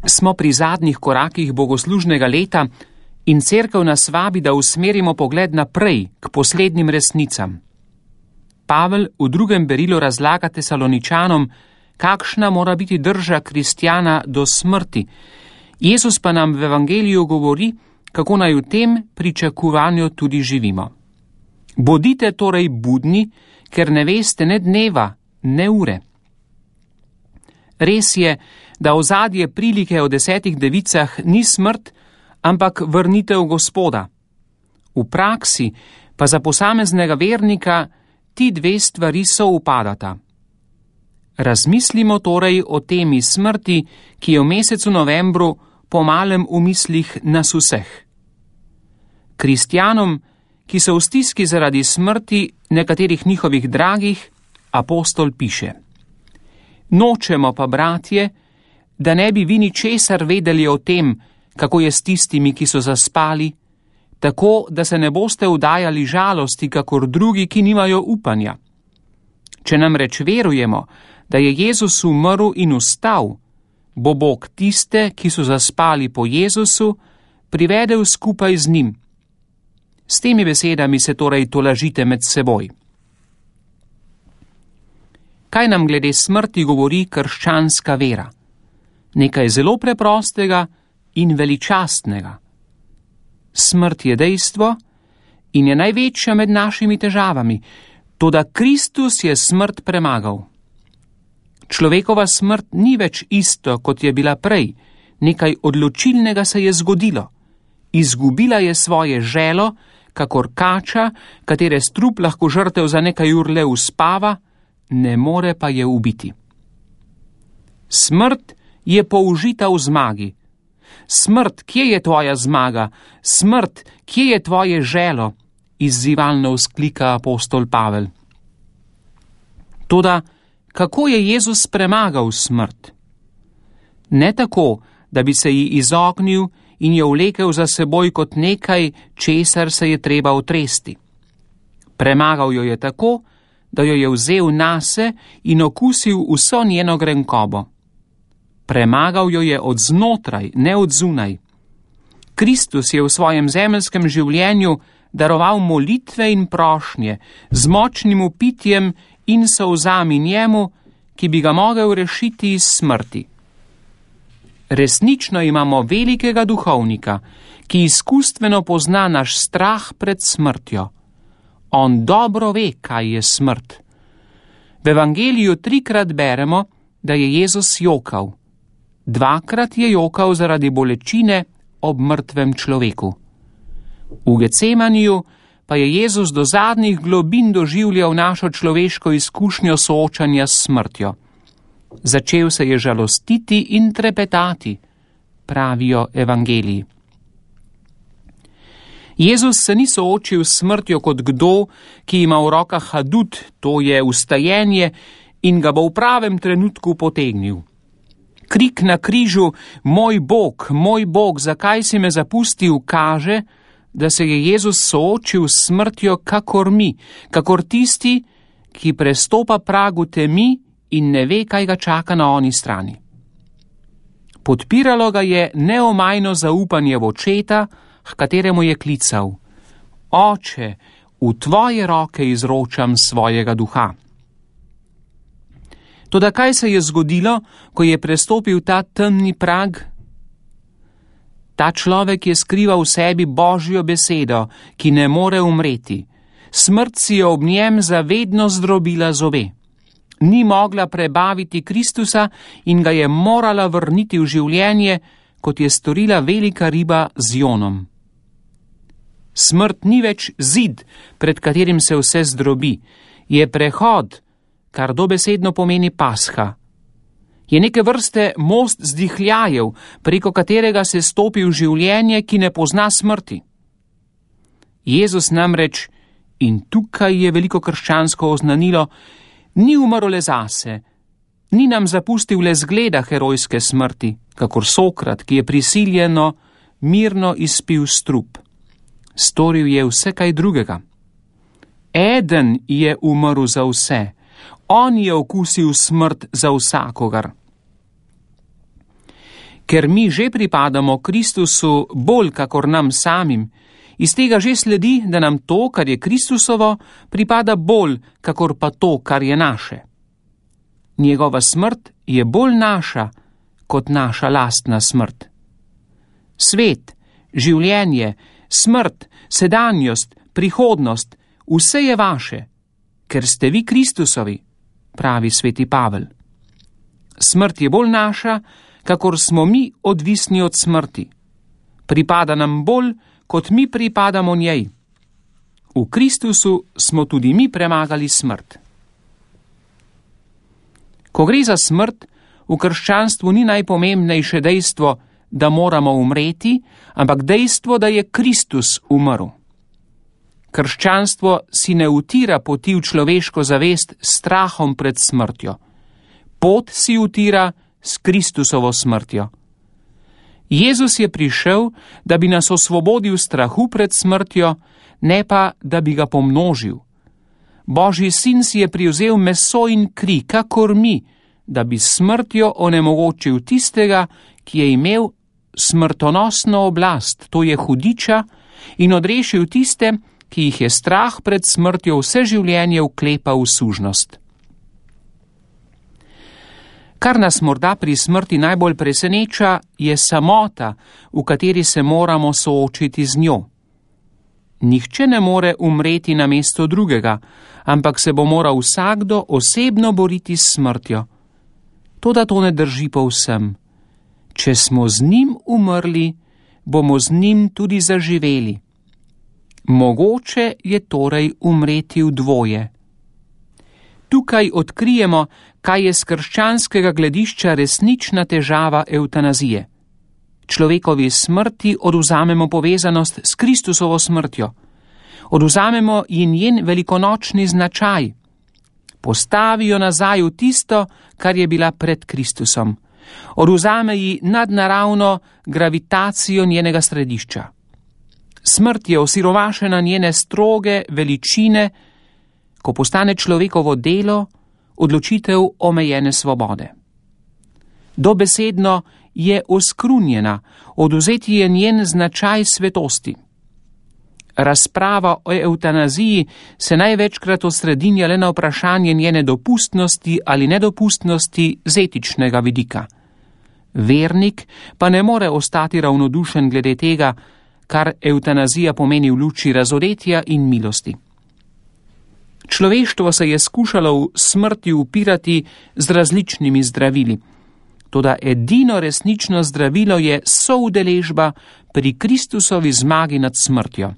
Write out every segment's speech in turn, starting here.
Smo pri zadnjih korakih bogoslužnega leta in cerkev nas vabi, da usmerimo pogled naprej k poslednjim resnicam. Pavel v drugem berilu razlaga Tesaloničanom, kakšna mora biti drža kristjana do smrti. Jezus pa nam v evangeliju govori, kako naj v tem pričakovanju tudi živimo. Bodite torej budni, ker ne veste ne dneva, ne ure. Res je, da ozadje prilike o 10 devicah ni smrt, ampak vrnitev Gospoda. V praksi pa za posameznega vernika ti dve stvari soupadata. Razmislimo torej o temi smrti, ki je v mesecu novembru po malem v mislih nas vseh. Kristjanom, ki so v stiski zaradi smrti nekaterih njihovih dragih, apostol piše: Nočemo pa, bratje, da ne bi vi ničesar vedeli o tem, kako je s tistimi, ki so zaspali, tako da se ne boste vdajali žalosti, kakor drugi, ki nimajo upanja. Če namreč verujemo, da je Jezus umrl in vstal, bo Bog tiste, ki so zaspali po Jezusu, privedel skupaj z njim. S temi besedami se torej tolažite med seboj. Kaj nam glede smrti govori krščanska vera? Nekaj zelo preprostega in veličastnega. Smrt je dejstvo in je največja med našimi težavami, toda Kristus je smrt premagal. Človekova smrt ni več isto, kot je bila prej, nekaj odločilnega se je zgodilo. Izgubila je svoje želo, kakor kača, katere strup lahko žrtev za nekaj ur le uspava, ne more pa je ubiti. Smrt je použita v zmagi. Smrt, kje je tvoja zmaga? Smrt, kje je tvoje želo? Izzivalno vzklika apostol Pavel. Toda, kako je Jezus premagal smrt? Ne tako, da bi se ji izognil in jo vlekel za seboj kot nekaj, česar se je treba otresti. Premagal jo je tako, da jo je vzel nase in okusil vso njeno grenkobo. Premagal jo je od znotraj, ne od zunaj. Kristus je v svojem zemeljskem življenju daroval molitve in prošnje z močnim upitjem in solzami njemu, ki bi ga mogel rešiti iz smrti. Resnično imamo velikega duhovnika, ki izkustveno pozna naš strah pred smrtjo. On dobro ve, kaj je smrt. V evangeliju 3-krat beremo, da je Jezus jokal. 2-krat je jokal zaradi bolečine ob mrtvem človeku. V Getsemaniju pa je Jezus do zadnjih globin doživljal našo človeško izkušnjo soočanja s smrtjo. Začel se je žalostiti in trepetati, pravijo evangeliji. Jezus se ni soočil s smrtjo kot kdo, ki ima v rokah adut, to je vstajenje, in ga bo v pravem trenutku potegnil. Krik na križu, moj Bog, zakaj si me zapustil, kaže, da se je Jezus soočil s smrtjo kakor mi, kakor tisti, ki prestopa pragu temi in ne ve, kaj ga čaka na oni strani. Podpiralo ga je neomajno zaupanje v očeta, h kateremu je klical: Oče, v tvoje roke izročam svojega duha. Toda kaj se je zgodilo, ko je prestopil ta temni prag? Ta človek je skrival v sebi Božjo besedo, ki ne more umreti. Smrt si je ob njem zavedno zdrobila zobe. Ni mogla prebaviti Kristusa in ga je morala vrniti v življenje, kot je storila velika riba z Jonom. Smrt ni več zid, pred katerim se vse zdrobi. Je prehod, kar dobesedno pomeni pasha. Je neke vrste most zdihljajev, preko katerega se stopi v življenje, ki ne pozna smrti. Jezus namreč, in tukaj je veliko krščansko oznanilo, ni umrl le zase, ni nam zapustil le zgleda herojske smrti, kakor Sokrat, ki je prisiljeno mirno izpil strup. Storil je vse kaj drugega. Eden je umrl za vse, on je okusil smrt za vsakogar. Ker mi že pripadamo Kristusu bolj kakor nam samim, iz tega že sledi, da nam to, kar je Kristusovo, pripada bolj kakor pa to, kar je naše. Njegova smrt je bolj naša kot naša lastna smrt. Svet, življenje, smrt, sedanjost, prihodnost, vse je vaše, ker ste vi Kristusovi, pravi sveti Pavel. Smrt je bolj naša, kakor smo mi odvisni od smrti. Pripada nam bolj, kot mi pripadamo njej. V Kristusu smo tudi mi premagali smrt. Ko gre za smrt, v krščanstvu ni najpomembnejše dejstvo, da moramo umreti, ampak dejstvo, da je Kristus umrl. Krščanstvo si ne utira poti v človeško zavest s strahom pred smrtjo. Pot si utira s Kristusovo smrtjo. Jezus je prišel, da bi nas osvobodil strahu pred smrtjo, ne pa, da bi ga pomnožil. Božji sin si je privzel meso in kri, kakor mi, da bi smrtjo onemogočil tistega, ki je imel smrtonosno oblast, to je hudiča, in odrešil tiste, ki jih je strah pred smrtjo vse življenje vklepal v sužnost. Kar nas morda pri smrti najbolj preseneča, je samota, v kateri se moramo soočiti z njo. Nihče ne more umreti namesto drugega, ampak se bo moral vsakdo osebno boriti s smrtjo. Toda to ne drži povsem. Če smo z njim umrli, bomo z njim tudi zaživeli. Mogoče je torej umreti v dvoje. Tukaj odkrijemo, kaj je z krščanskega gledišča resnična težava evtanazije. Človekovi smrti odvzamemo povezanost s Kristusovo smrtjo. Odvzamemo ji njen velikonočni značaj. Postavijo nazaj v tisto, kar je bila pred Kristusom. Odvzame ji nadnaravno gravitacijo njenega središča. Smrt je osiromašena njene stroge veličine, ko postane človekovo delo, odločitev omejene svobode. Dobesedno je oskrunjena, odvzeti je njen značaj svetosti. Razprava o evtanaziji se največkrat osredinja le na vprašanje njene dopustnosti ali nedopustnosti z etičnega vidika. Vernik pa ne more ostati ravnodušen glede tega, kar evtanazija pomeni v luči razoretja in milosti. Človeštvo se je skušalo v smrti upirati z različnimi zdravili. Toda edino resnično zdravilo je soudeležba pri Kristusovi zmagi nad smrtjo.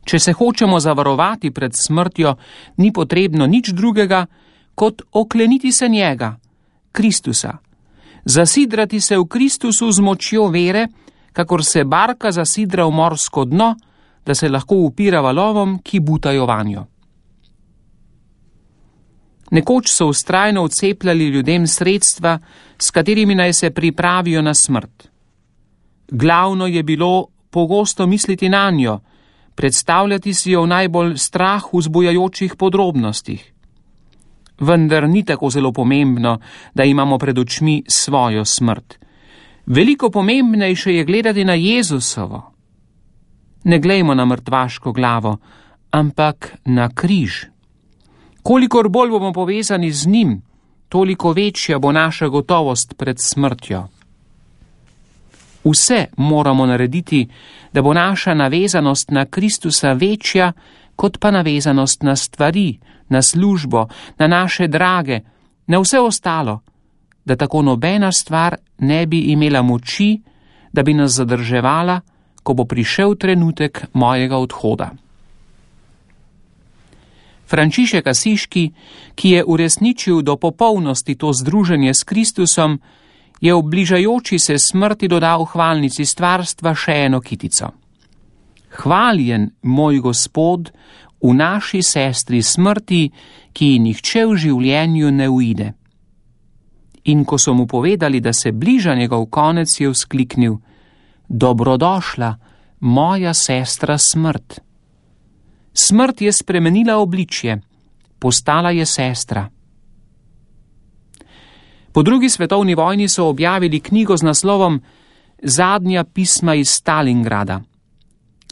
Če se hočemo zavarovati pred smrtjo, ni potrebno nič drugega, kot okleniti se njega, Kristusa. Zasidrati se v Kristusu z močjo vere, kakor se barka zasidra v morsko dno, da se lahko upira valovom, ki butajo vanjo. Nekoč so vztrajno vcepljali ljudem sredstva, s katerimi naj se pripravijo na smrt. Glavno je bilo pogosto misliti nanjo, predstavljati si jo v najbolj strah vzbujajočih podrobnostih. Vendar ni tako zelo pomembno, da imamo pred očmi svojo smrt. Veliko pomembnejše je gledati na Jezusovo. Ne glejmo na mrtvaško glavo, ampak na križ. Kolikor bolj bomo povezani z njim, toliko večja bo naša gotovost pred smrtjo. Vse moramo narediti, da bo naša navezanost na Kristusa večja, kot pa navezanost na stvari, na službo, na naše drage, na vse ostalo, da tako nobena stvar ne bi imela moči, da bi nas zadrževala, ko bo prišel trenutek mojega odhoda. Frančišek Asiški, ki je uresničil do popolnosti to združenje s Kristusom, je v bližajoči se smrti dodal hvalnici stvarstva še eno kitico. Hvaljen, moj Gospod, v naši sestri smrti, ki ji nihče v življenju ne uide. In ko so mu povedali, da se bliža njegov konec, je vzkliknil: Dobrodošla, moja sestra smrt. Smrt je spremenila obličje, postala je sestra. Po drugi svetovni vojni so objavili knjigo z naslovom Zadnja pisma iz Stalingrada.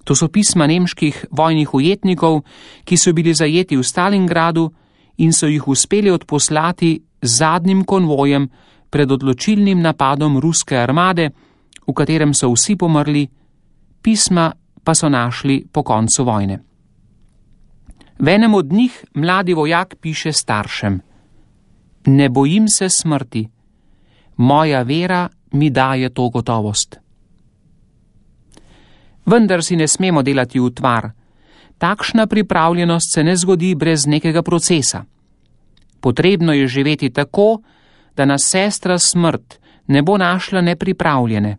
To so pisma nemških vojnih ujetnikov, ki so bili zajeti v Stalingradu in so jih uspeli odposlati z zadnjim konvojem pred odločilnim napadom ruske armade, v katerem so vsi pomrli, pisma pa so našli po koncu vojne. V enem od njih mladi vojak piše staršem: Ne bojim se smrti, moja vera mi daje to gotovost. Vendar si ne smemo delati utvar. Takšna pripravljenost se ne zgodi brez nekega procesa. Potrebno je živeti tako, da nas sestra smrt ne bo našla nepripravljene.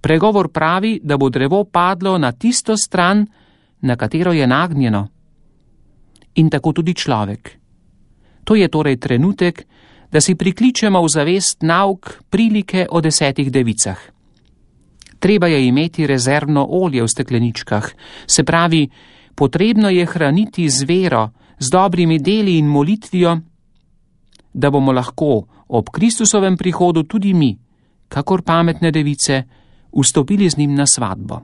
Pregovor pravi, da bo drevo padlo na tisto stran, na katero je nagnjeno. In tako tudi človek. To je torej trenutek, da si prikličemo v zavest nauk prilike o 10 devicah. Treba je imeti rezervno olje v stekleničkah, se pravi, potrebno je hraniti z vero, z dobrimi deli in molitvijo, da bomo lahko ob Kristusovem prihodu tudi mi, kakor pametne device, vstopili z njim na svatbo.